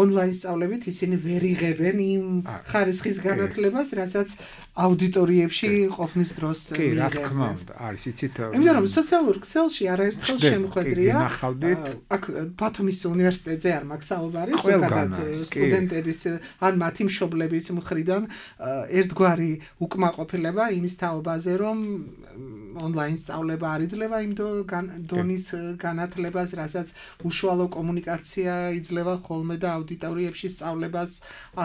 S3: ონლაინ სწავლებით ისინი ვერ იღებენ იმ ხარისხის განათლებას, რასაც აუდიტორიებში ყოფნის დროს
S4: მიიღებენ. კი, რა თქმა უნდა, არის, იცით.
S3: იმიტომ რომ სოციალურ ქსელში არაერთხელ შემოხვედრია, აქ ბათუმის უნივერსიტეტზე არ მაქვს საუბარი, ზოგადად სტუდენტების ან მათი მშობლების მხრიდან ერთგვარი უკმაყოფილება იმის თაობაზე რომ ონლაინ სწავლება არ იძლევა იმ დონის განათლებას, რასაც უშუალო კომუნიკაცია იძლევა ხოლმე და აუდიტორიებში სწავლებას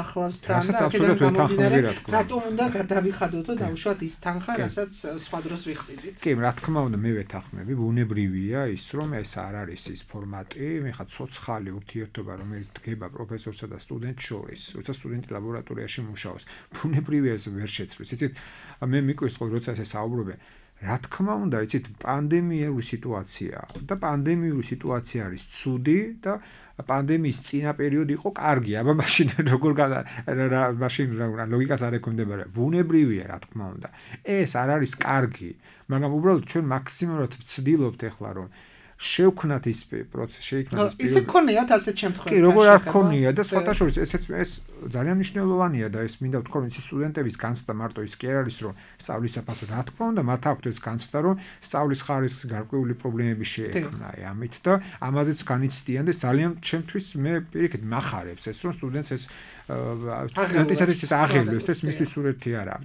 S3: ახლავს თან და აქედან გამომდინარე რატომ უნდა გადავიხადოთ და უშუალოდ ის თანხა, რასაც სხვა დროს ვიხდიდით.
S4: კი, რა თქმა უნდა მე ვეთანხმები, ბუნებრივია ის რომ ეს არ არის ის ფორმატი, მეხა ცოცხალი ურთიერთობა რომელიც დგება პროფესორსა და სტუდენტს შორის, როცა სტუდენტი ლაბორატორიაში მუშაობს. ბუნებრივია ეს ვერ შეცვლის. იცით მე მიკვირს ხოლმე როცა ესე საუბრობენ რა თქმა უნდა იცით პანდემიური სიტუაცია და პანდემიური სიტუაცია არის ცუდი და პანდემიის წინა პერიოდი იყო კარგი აბა მაშინ როგორ მაშინ ლოგიკას არ ექვემდებარა ბუნებრივია რა თქმა უნდა ეს არ არის კარგი მაგრამ უბრალოდ ჩვენ მაქსიმალურად ვცდილობთ ახლა რომ შევქნათ ის პროცესი შეიქმნას
S3: ისე გქონიათ ასეთ შემთხვევაში
S4: კი როგორ არ გქონია და სხვათა შორის ეს ძალიან მნიშვნელოვანია და ეს მინდა ვთქვა რომ ის სტუდენტების განცდა მარტო ის კი არ არის რომ სწავლის საფასო რა თქმა უნდა მათ აქვთ ეს განცდა რომ სწავლის ხარისხის გარკვეული პრობლემები შეექმნა ამით და ამაზეც განიცდიან და ძალიან ჩემთვის მე პირიქით მახარებს ეს რომ სტუდენტს ეს სტუდენტისათვის ეს აღელვებს ეს მისთვის სურათი არა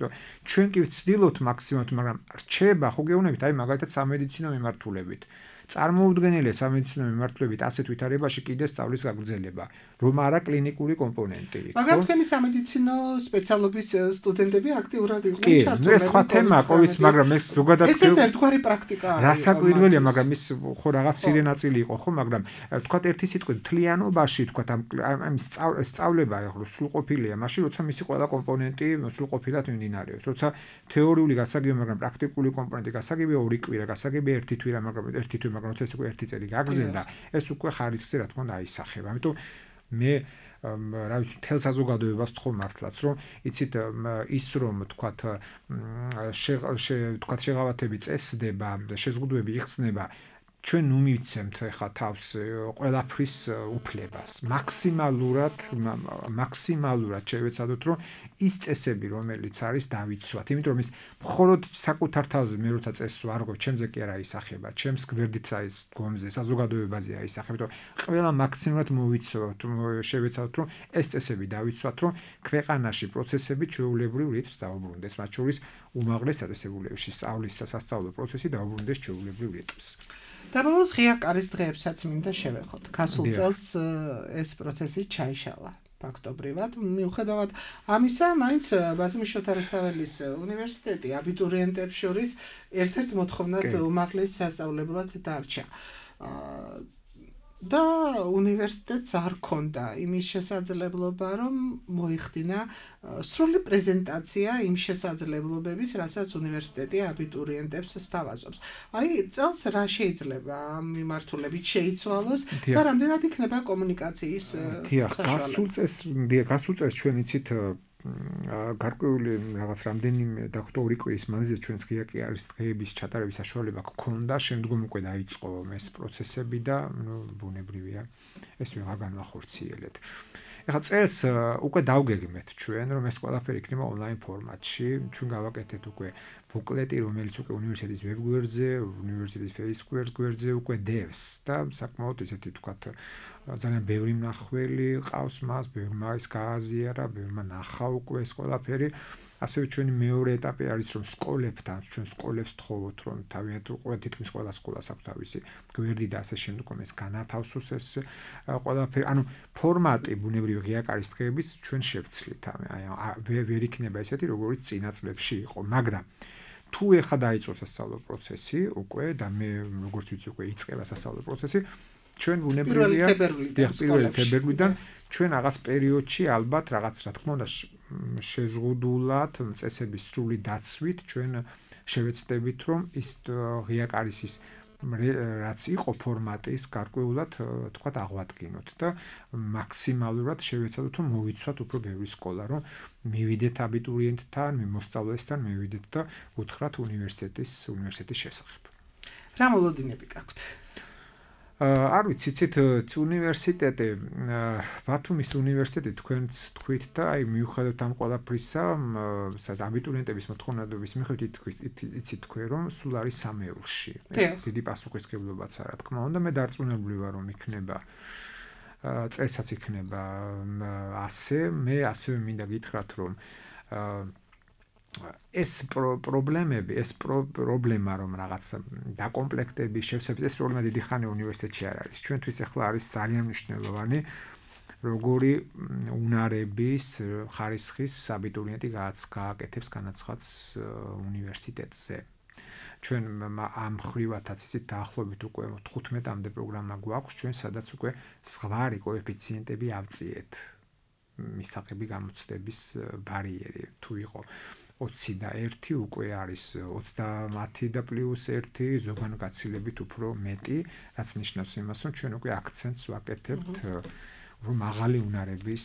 S4: ჩვენ კი ვცდილობთ მაქსიმალურად მაგრამ რჩება ხო გეუბნებით აი მაგალითად სამედიცინო მიმართულებით წარმოუდგენელია სამედიცინო მიმართულებით ასეთ ვითარებაში კიდე სწავლის გაგრძელება, რომ არა კლინიკური კომპონენტი.
S3: მაგრამ თქვენი სამედიცინო სპეციალობის სტუდენტები აქტიურად იყვნენ ჩართულები.
S4: კი, ეს სხვა თემაა, ყოველთვის, მაგრამ ეს ზოგადად
S3: ესეც ერთგვარი პრაქტიკა არის.
S4: რასაკვირველია, მაგრამ ის ხო რაღაც ცირე ნაწილი იყო, ხო, მაგრამ თქვათ ერთი სიტყვით თლიანობაში, თქვათ ამ სწავლება ახლა სრულყოფილია, მაშინ როცა მისი ყველა კომპონენტი სრულყოფილად მიმდინარეობს. როცა თეორიული გასაგებია, მაგრამ პრაქტიკული კომპონენტი გასაგებია ორი კვირა, გასაგებია ერთი თვე, მაგრამ ერთი თვე მაგრამ ეს უკვე ერთი წელი გაგრძელდა ეს უკვე ხარისხზე რა თქმა უნდა აისახება ამიტომ მე რა ვიცი თელ საზოგადოებას თქო მართლაც რომ იცით ის რომ თქვათ შეღავათები წესდება და შეზღუდვები იხსნება ჩვენ ნუ მივცემთ ეხა თავს ყველაფრის უფლებას. მაქსიმალურად შევეცადოთ, რომ ის წესები, რომელიც არის, დავიცვათ. იმიტომ რომ ის მხოლოდ საკუთარ თავზე მე როცა წესს ვარღვევ, ჩემზე კი არ აისახება, ჩემს გვერდით არის დგომზე, საზოგადოებაზე აისახება. იმიტომ ყველა მაქსიმალურად მოვიცვათ, შევეცადოთ, რომ ეს წესები დავიცვათ, რომ ქვეყანაში პროცესები ჩვეულებრივ რითმს დაუბრუნდეს, მათ შორის უმაღლეს დაწესებულებებში სწავლის სასწავლო პროცესი დაუბრუნდეს ჩვეულებრივ რითმს.
S3: და ბოლოს ღია კარის დღეებსაც მინდა შევეხოთ. გასულ წელს ეს პროცესი ჩაიშალა. ფაქტობრივად, მიუხედავად ამისა, მაინც ბათუმის შოთა რუსთაველის უნივერსიტეტი აბიტურიენტებს შორის ერთ-ერთ მოთხოვნად უმაღლეს სასწავლებლად დარჩა. და უნივერსიტეტს არ ქონდა იმის შესაძლებლობა, რომ მოიხდინა სრული პრეზენტაცია იმ შესაძლებლობების, რასაც უნივერსიტეტი აბიტურიენტებს სთავაზობს. აი, წელს რა შეიძლება ამ მიმართულებით შეიცვალოს და რამდენად იქნება კომუნიკაციის
S4: საშუალება? გასულ წელს ჩვენ იცით გარკვეული რაღაც რამდენიმე ორი კვირის მანძილზე ჩვენს ღია კარის დღეების ჩატარების საშუალება გქონდა, შემდგომ უკვე დაიწყო ეს პროცესები და ბუნებრივია ეს ვეღარ განვახორციელეთ. ეხლა წელს უკვე დავგეგმეთ ჩვენ, რომ ეს ყველაფერი იქნება ონლაინ ფორმატში, ჩვენ გავაკეთეთ უკვე ბუკლეტი, რომელიც უკვე უნივერსიტეტის ვებგვერდზე, უნივერსიტეტის Facebook გვერდზე უკვე დევს და საკმაოდ ისეთი თქვათ ძალიან ბევრი მნახველი ყავს მას, ბევრმა ის გააზიარა, ბევრმა ნახა უკვე ეს ყველაფერი. ასევე ჩვენი მეორე ეტაპი არის, რომ სკოლებთან, ჩვენ სკოლებს თხოვოთ, რომ თავიანთ თითქმის ყველა სკოლას აქვს თავისი გვერდი და ასე შემდგომ ეს განათავსოს ეს ყველაფერი. ანუ ფორმატი ბუნებრივი ღია კარის დღეების ჩვენ შევცვლით. აი ვერ იქნება ესეთი, როგორც წინა წლებში იყო, მაგრამ თუ ეხლა დაიწყოს სასწავლო პროცესი უკვე და მე როგორც ვიცი უკვე იწყება სასწავლო პროცესი, ჩვენ ბუნებრივია 1 თებერვლიდან ჩვენ რაღაც პერიოდში ალბათ რაღაც რა თქმა უნდა შეზღუდულად წესების სრული დაცვით ჩვენ შევეცდებით, რომ ის ღია კარის ის რაც იყო ფორმატის გარკვეულად თქვათ აღვადგინოთ და მაქსიმალურად შევეცადოთ, რომ მოვიცვათ უფრო ბევრი სკოლა, რომ მივიდეთ აბიტურიენტთან, მოსწავლესთან მივიდეთ და უთხრათ უნივერსიტეტის შესახებ.
S3: რა მოლოდინები გაქვთ?
S4: არ ვიცი, ცით უნივერსიტეტი, ბათუმის უნივერსიტეტი თქვენც თქვით და აი მიუხედავად ამ ყველაფრისა, აბიტურიენტების მოთხოვნადობის მიხედვით იცით თქვენ, რომ სულ არის სამეულში. ეს დიდი პასუხისმგებლობაც არა, თქმა უნდა, მე დარწმუნებული ვარ, რომ იქნება წესაც იქნება ასე, მე ასევე მინდა გითხრათ, რომ ეს პრობლემები, ეს პრობლემა რომ რაღაც დაკომპლექტების შევსებით, ეს პრობლემა დიდი ხანი უნივერსიტეტში არ არის. ჩვენთვის ახლა არის ძალიან მნიშვნელოვანი, როგორი უნარების ხარისხის აბიტურიენტი გააკეთებს განაცხადს უნივერსიტეტზე. ჩვენ ამ ხრივათაც ისეთ დაახლოებით უკვე 15-მდე პროგრამა გვაქვს, ჩვენ სადაც უკვე ზღვარი კოეფიციენტები ავწიეთ. მისაღები გამოცდების ბარიერი თუ იყო 20 და 1 უკვე არის 30 და +1 ზოგან გაცილებით უფრო მეტი, რაც ნიშნავს იმას, რომ ჩვენ უკვე აქცენტს ვაკეთებთ რომ მაღალი უნარების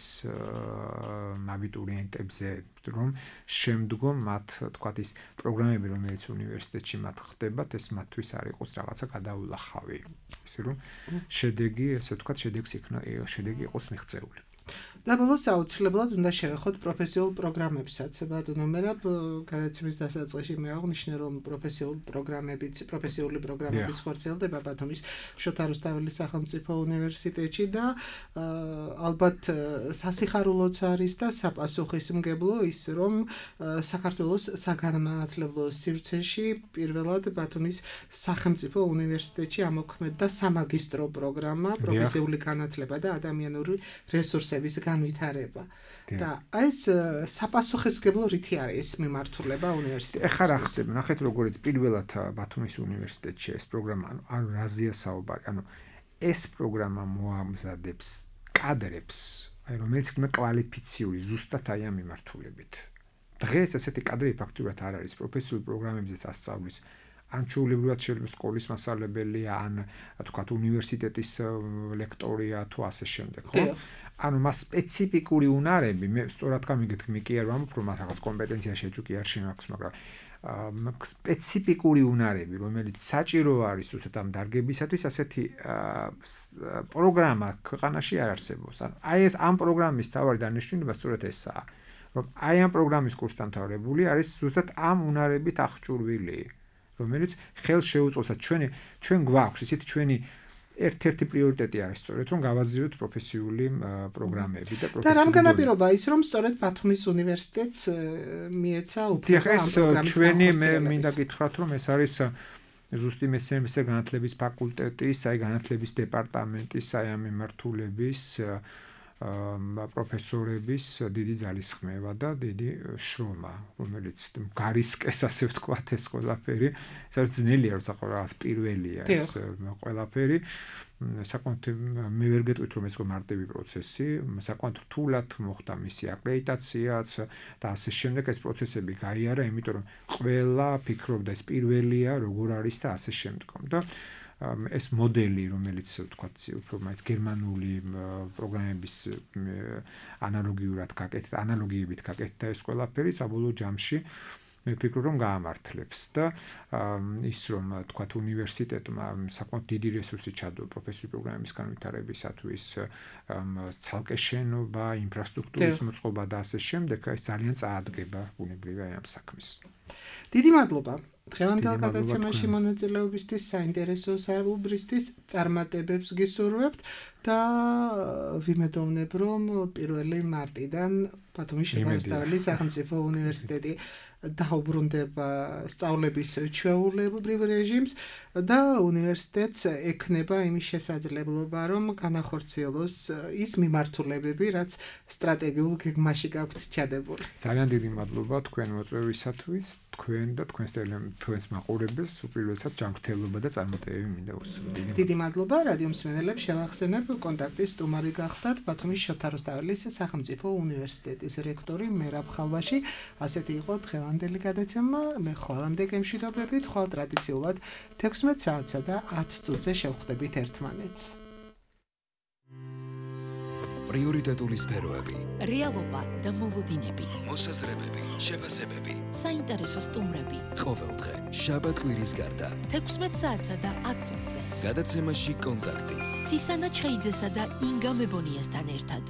S4: აბიტურიენტებზე, რომ შემდგომ მათ თქვათ ის პროგრამები, რომელიც უნივერსიტეტში მათ ხდებათ, ეს მათთვის არ იყოს რაღაცა გადაულახავი. ისე რომ შედეგი, ესე ვთქვათ, შედეგი იყოს მიღწეული.
S3: და ბოლოს აუცილებლად უნდა შევეხოთ პროფესიულ პროგრამებსაც. ბატონო მერაბ, განაცემის დასაწყისში მე აღნიშნე, რომ პროფესიული პროგრამებიც ხორციელდება ბათუმის შოთა რუსთაველის სახელმწიფო უნივერსიტეტში და ალბათ სასიხარულოც არის და საპასუხისმგებლო ის, რომ საქართველოს საგანმანათლებლო სივრცეში პირველად ბათუმის სახელმწიფო უნივერსიტეტში ამოქმედდა სამაგისტრო პროგრამა, პროფესიული განათლება და ადამიანური რესურსების განვითარება. და ეს საპასუხისმგებლო რითი არის ეს მიმართულება უნივერსიტეტში?
S4: ეხლა რა ხდება? ნახეთ როგორიც პირველად ბათუმის უნივერსიტეტში ეს პროგრამა, ანუ რაზეა საუბარი? ანუ ეს პროგრამა მოამზადებს კადრებს, აი რომელიც იქნება კვალიფიციური ზუსტად აი ამ მიმართულებით. დღეს ესეთი კადრები ფაქტურად არ არის პროფესიულ პროგრამებზე სასწავლის ან ჩვეულებრივად შეიძლება სკოლის მასწავლებელია, ან თქვათ უნივერსიტეტის ლექტორია თუ ასე შემდეგ, ხო? ანუ მას სპეციფიკური უნარები, მე სწორად გამიგეთ, კი არ ვამბობ, რომ რაღაც კომპეტენცია შეჭუკი არ შემაქვს, მაგრამ სპეციფიკური უნარები, რომელიც საჭირო არის უბრალოდ ამ დარგებისათვის, ასეთი პროგრამა ქვეყანაში არ არსებობს. აი ეს ამ პროგრამის თავარი დანიშნულება სწორედ ესაა, რომ აი ამ პროგრამის კურსდამთავრებული არის ზუსტად ამ უნარებით აღჭურვილი, რომელიც ხელს შეუწყობს ჩვენ გვაქვს ისეთ ჩვენი ერთ-ერთი პრიორიტეტი არის სწორედ რომ გავაზრდოთ პროფესიული პროგრამები და
S3: და რამ განაპირობა ის რომ სწორედ ბათუმის უნივერსიტეტს მიეცა უფლება ამ პროგრამის
S4: ჩვენი მე მინდა გითხრათ რომ ეს არის ზუსტი მეცნიერებისა განათლების ფაკულტეტის, აი განათლების დეპარტამენტის, აი ამ მიმართულების პროფესორების დიდი ძალისხმევა და დიდი შრომა, რომელიც გარისკეს ასე ვთქვათ ეს ყველაფერი, საერთოდ ძნელია როცა რაღაც პირველია ეს ყველაფერი. საკმაოდ მე ვერ გეტყვით რომ ეს მარტივი პროცესი, საკმაოდ რთულად მოხდა მისი აკრედიტაციაც და ასე შემდეგ ეს პროცესები გაიარა, იმიტომ რომ ყველა ფიქრობდა ეს პირველია, როგორ არის და ასე შემდეგ. და ეს მოდელი, რომელიც ვთქვათ, უფრო მაინც გერმანული პროგრამების ანალოგიებით გაკეთდა ეს ყველაფერი საბოლოო ჯამში მე ვფიქრობ რომ გაამართლებს და ის რომ თქვათ უნივერსიტეტმა საკმაოდ დიდი რესურსი ჩადო პროფესიული პროგრამების განვითარებისათვის ცალკე შენობა, ინფრასტრუქტურის მოწყობა და ასე შემდეგ, ეს ძალიან წაადგება ბუნებრივია ამ საქმეს.
S3: დიდი მადლობა. დღევანდელ გადაცემაში მონაწილეობისთვის, საინტერესო საუბრისთვის, წარმატებებს გისურვებთ და ვიმედოვნებ, რომ 1 მარტიდან ბათუმის შედარებადი სახელმწიფო უნივერსიტეტი დაუბრუნდება სწავლების ჩვეულებრივ რეჟიმს და უნივერსიტეტს ექნება იმის შესაძლებლობა, რომ განახორციელოს ის მიმართულებები, რაც სტრატეგიულ გეგმაში გაქვთ ჩადებული.
S4: ძალიან დიდი მადლობა თქვენ მოწვევისათვის, თქვენ და თქვენს მაყურებელს უპირველესად ჯანმრთელობა და წარმატებები მინდა უსურვო.
S3: დიდი მადლობა რადიო მსმენელებს, შევახსენებ კონტაქტის სტუმარი გახდათ ბათუმის შოთა რუსთაველის სახელმწიფო უნივერსიტეტის რექტორი მერაბ ხალვაში. ასეთი იყო დღევანდელი გადაცემა. მე ხვალამდე გემშვიდობებით, ხვალ ტრადიციულად 16 საათსა და 10 წუთზე შევხვდებით ერთმანეთს.
S1: პრიორიტეტული სფეროები,
S2: რეალობა და მოლოდინები,
S1: მოსაზრებები, შეფასებები,
S2: საინტერესო სტუმრები.
S1: ყოველდღე, შაბათ-კვირის გარდა.
S2: 16 საათსა და 10 წუთზე.
S1: გადაცემაში კონტაქტი.
S2: ცისანა ჩხეიძესა და ინგა მებონიასთან ერთად.